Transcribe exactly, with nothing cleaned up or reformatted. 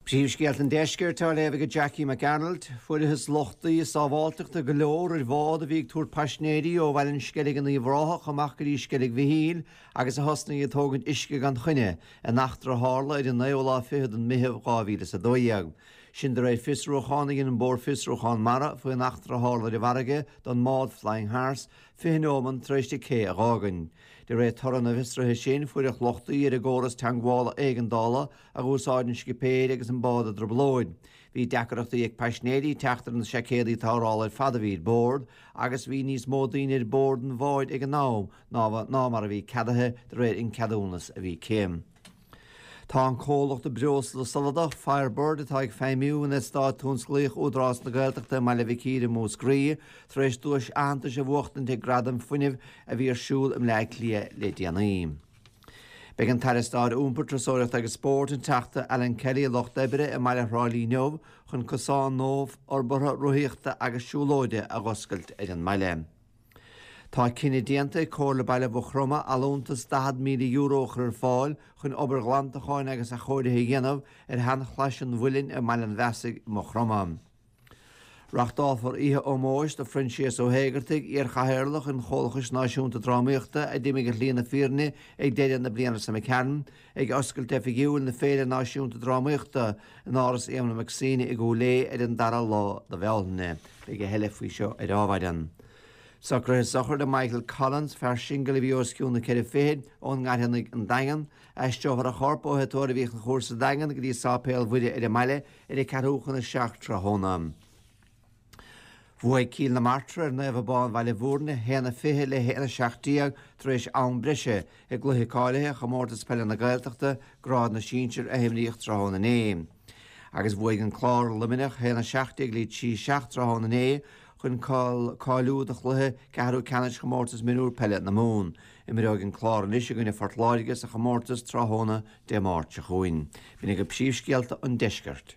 Príomhscéalta an Deiscirt á léamh ag Jackie McArnold, Fuarthas lochtaí sábháilteachta go leor ar bhád a bhí ag tabhairt paisinéirí ó Bhaile an Sceilg in Uíbh Ráthach amach go dtí Sceilg Mhichíl agus a thosnaigh ag tógaint uisce gan choinne, in eachtra a tharla ar an naoú lá fichead den Mheitheamh dhá mhíle is a dó dhéag. Sin de réir fiosrúchán a dhein an Bord Fiosrúchán Mara faoin eachtra a tharla ar an bhfarraige don mbád Flying Hearts fiche neomant tar éis di cé a dh'fhágaint. De réir toradh na bhfiosruithe sin, fuaireadh lochtaí ar an gcóras teagmhála éigeandála a dh'úsáid an scipéir agus an bád i dtrioblóid. Bhí deacrachtaí ag paisinéirí teacht ar na seaicéadaí tarrthála ar fad a bhí ar bord agus bhí níos mó daoine ar bord an bháid ag an am ná mar a bhí ceadaithe de réir an ceadúnas a bhí aici. Tá an comhlacht breosla soladach Firebird atá ag feidhmiú in eastát tionsclaíoch Údarás na Gaeltachta i mBaile Mhic Íre i Múscraí tar éis duais aitheantais a bhuachtaint ag Gradaim Fuinnimh a bhí ar siúl i mBleá Cliath le déanaí. Beidh an tAire Stáit Iompair, Turasóireachta agus Spóirt, an Teachta Alan Kelly, lucht oibre i mbaile Thrá Lí inniu chun cosán nua forbartha rothaíochta agus siúlóide a dh'oscailt ar an mbaile. Tá cinneadh déanta ag Comhairle Baile Mhaigh Chromtha allúntas daichead míle euro a chur ar fáil chun obair ghlantacháin agus athchóirithe a dhéanamh ar sheanchlais an Mhuilinn i mBaile an Bheasaigh i Maigh Chromtha. Reachtálfar oíche ómóis do Phroinsias Ó hÉigeartaigh, iar-chathaoirleach an Chomhlachais Náisiúnta Drámaíochta a d'imigh ar shlí na fírinne ag deireadh na bliana seo imigh tharainn, ag oscailt oifigiúil na Féile Náisiúnta Drámaíochta in Áras Éamon Mac Suibhne i gCúil Aodha ar an dara lá de Bhealtaine. Beidh a thuilleadh faoi seo ar Adhmhaidin. Socruithe sochraide Michael Collins, fear singil a bhí os cionn na ceithre fichid, ón nGairfeanaigh an Daingean. Aistreofar a chorp ó Thigh Tórraimh Uí Chonchúir sa Daingean go dtí Sáipéal Mhuire ar an mbaile ar a ceathrú chun a seacht tráthnóna. Bhuaigh Cill na Martra ar Naomh Abán Bhaile Bhúirne, a haon a fiche le haon a seacht déag tar éis am breise i gcluiche cáilithe Chomórtas Peile na Gaeltachta, Grád na Sinsear a imríodh tráthnóna inné. Agus bhuaigh an Clár ar Luimneach, a haon a seacht déag le trí seacht tráthnóna inné chun cáiliú do chluiche ceathrú ceannais Chomórtas Mionúr Peile na Mumhan. Imreoidh an Clár anois i gcoinne Phort Láirge sa chomórtas tráthnóna Dé Máirt seo chugainn. B'in agaibh príomhscéalta an deiscirt.